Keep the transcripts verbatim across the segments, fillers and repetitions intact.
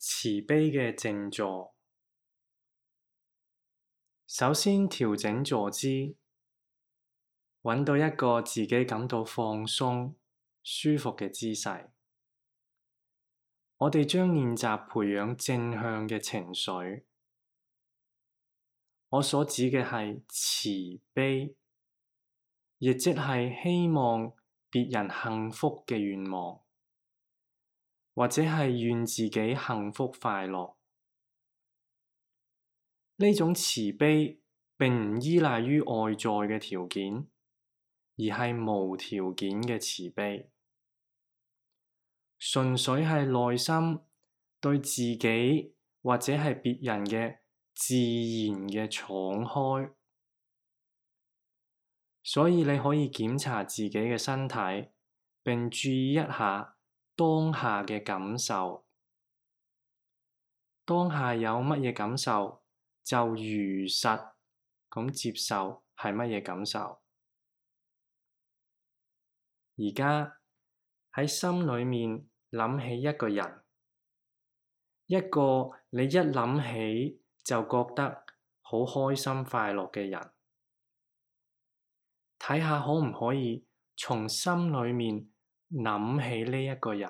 慈悲嘅靜坐。首先調整坐姿，揾到一個自己感到放鬆、舒服嘅姿勢。我哋將練習培養正向嘅情緒。我所指嘅係慈悲，亦即係希望別人幸福嘅願望，或者係願自己幸福快樂。呢種慈悲並唔依賴於外在嘅條件，而係無條件嘅慈悲，純粹係內心對自己或者係別人嘅自然嘅敞開。所以你可以檢查自己嘅身體，並注意一下當下嘅感受。當下有乜嘢感受，就如實咁接受係乜嘢感受。而家喺心裏面諗起一個人，一個你一諗起就覺得好開心快樂嘅人，睇下可唔可以從心裏面諗起呢一個人，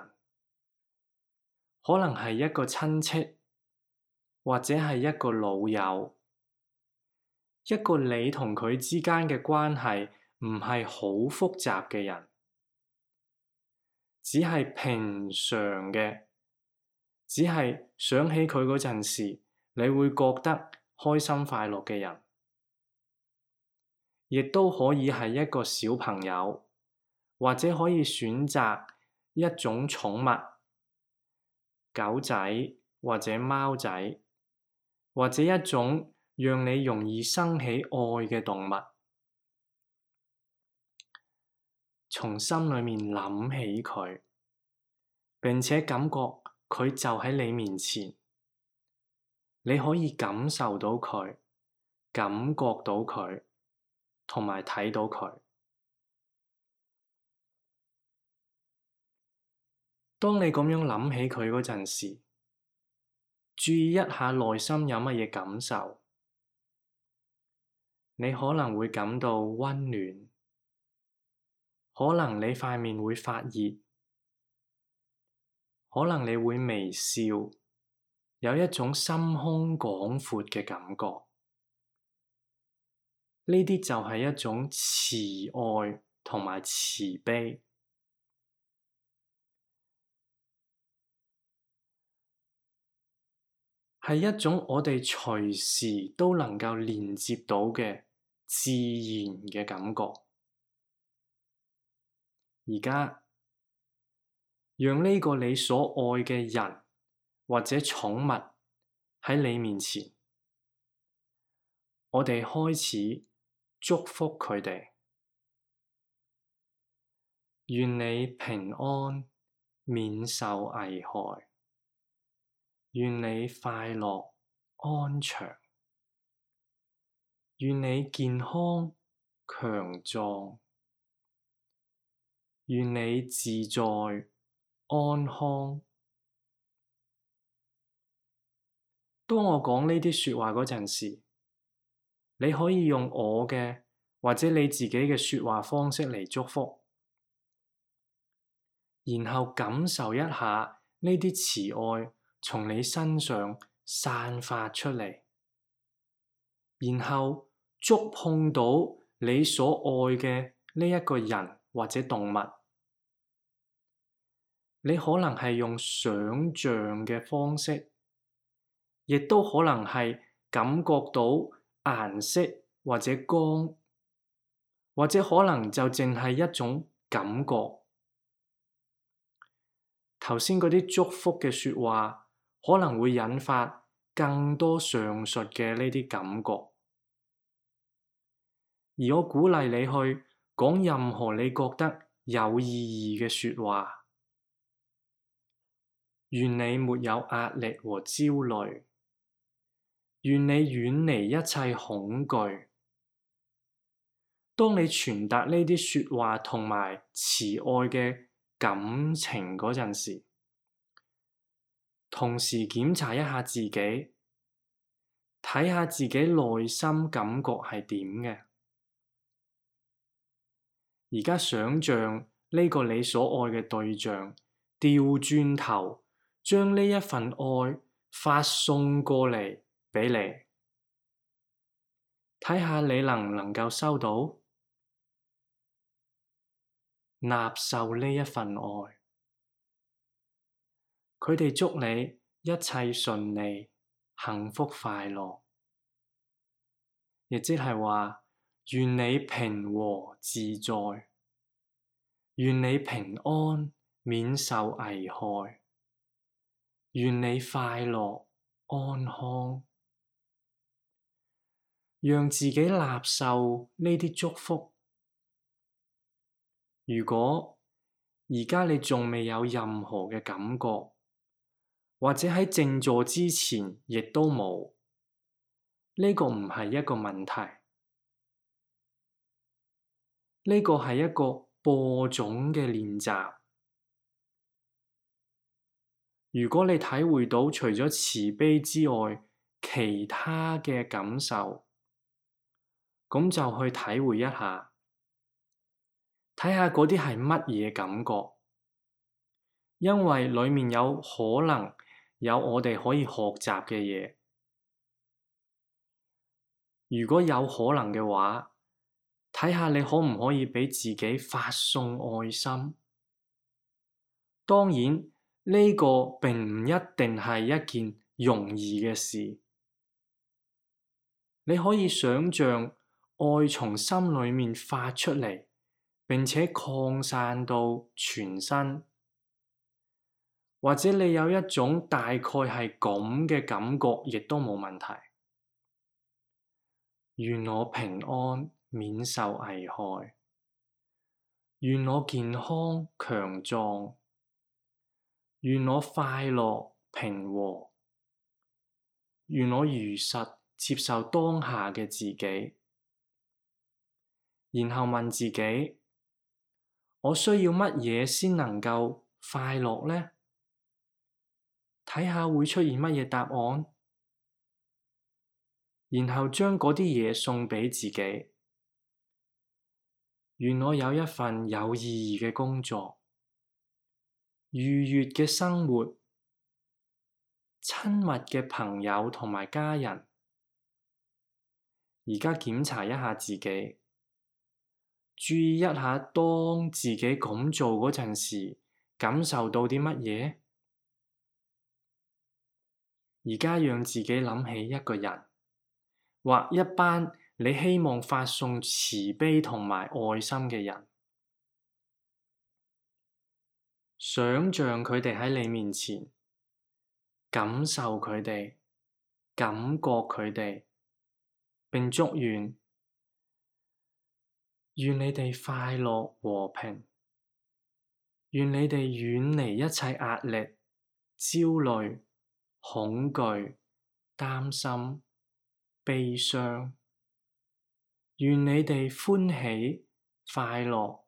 可能係一個親戚，或者係一個老友，一個你同佢之間嘅關係唔係好複雜嘅人，只係平常嘅，只係想起佢嗰陣時，你會覺得開心快樂嘅人，亦都可以係一個小朋友，或者可以選擇一種寵物，狗仔或者貓仔，或者一種讓你容易生起愛嘅動物，從心裏面諗起佢，並且感覺佢就喺你面前，你可以感受到佢，感覺到佢，同埋睇到佢。當你咁樣諗起佢嗰陣時，注意一下內心有乜嘢感受。你可能會感到溫暖，可能你塊面會發熱，可能你會微笑，有一種心胸廣闊嘅感覺。呢啲就係一種慈愛同埋慈悲，係一種我哋隨時都能夠連接到嘅自然嘅感覺。而家讓呢個你所愛嘅人或者寵物喺你面前，我哋開始祝福佢哋。願你平安，免受危害。願你快樂安詳，願你健康強壯，願你自在安康。當我講呢啲說話嗰陣時，你可以用我嘅或者你自己嘅說話方式嚟祝福，然後感受一下呢啲慈愛從你身上散發出嚟，然後觸碰到你所愛嘅呢一個人或者動物。你可能係用想像嘅方式，亦都可能係感覺到顏色或者光，或者可能就淨係一種感覺。頭先嗰啲祝福嘅說話可能會引發更多上述嘅呢啲感覺，而我鼓勵你去講任何你覺得有意義嘅說話。願你沒有壓力和焦慮，願你遠離一切恐懼。當你傳達呢啲說話同埋慈愛嘅感情嗰陣時，同時檢查一下自己，睇下自己內心感覺係點嘅。而家想像呢個你所愛嘅對象，調轉頭將呢一份愛發送過嚟俾你，睇下你能唔能夠收到、納受呢一份愛。佢哋祝你一切順利、幸福快樂，亦即係話願你平和自在，願你平安免受危害，願你快樂安康，讓自己納受呢啲祝福。如果而家你仲未有任何嘅感覺，或者喺靜坐之前亦都冇，呢個唔係一個問題，呢個係一個播種嘅練習。如果你體會到除咗慈悲之外，其他嘅感受，咁就去體會一下，睇下嗰啲係乜嘢感覺，因為裡面有可能有我哋可以學習嘅嘢。如果有可能嘅話，睇下你可唔可以畀自己發送愛心。當然，呢個並唔一定係一件容易嘅事。你可以想像愛從心裡面發出嚟，並且擴散到全身，或者你有一種大概係咁嘅感覺，亦都冇問題。願我平安免受危害，願我健康強壯，願我快樂平和，願我如實接受當下嘅自己，然後問自己：我需要乜嘢先能夠快樂呢？睇下會出現乜嘢答案，然後將嗰啲嘢送畀自己。願我有一份有意義嘅工作，愉悅嘅生活，親密嘅朋友同埋家人。而家檢查一下自己，注意一下當自己咁做嗰陣時，感受到啲乜嘢？而家讓自己諗起一個人，或一班你希望發送慈悲同埋愛心嘅人，想像佢哋喺你面前，感受佢哋，感覺佢哋，並祝願願你哋快樂和平，願你哋遠離一切壓力、焦慮、恐懼、擔心、悲傷，願你哋歡喜、快樂、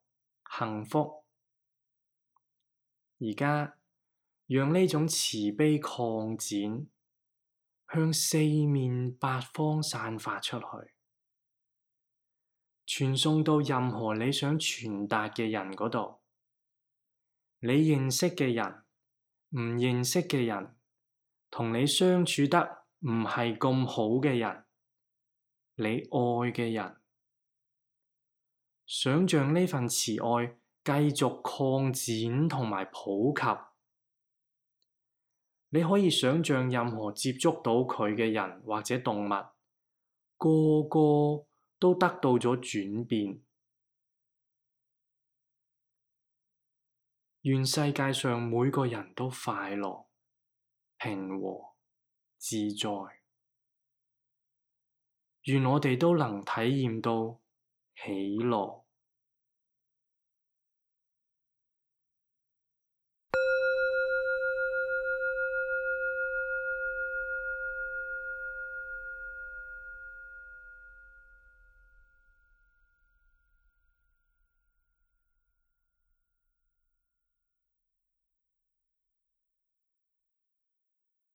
幸福。而家讓呢種慈悲擴展，向四面八方散發出去，傳送到任何你想傳達嘅人嗰度。你認識嘅人、唔認識嘅人，同你相處得唔係咁好嘅人，你愛嘅人，想像呢份慈愛繼續擴展同埋普及。你可以想像任何接觸到佢嘅人或者動物，個個都得到咗轉變。願世界上每個人都快樂、平和、自在。願我哋都能體驗到喜樂。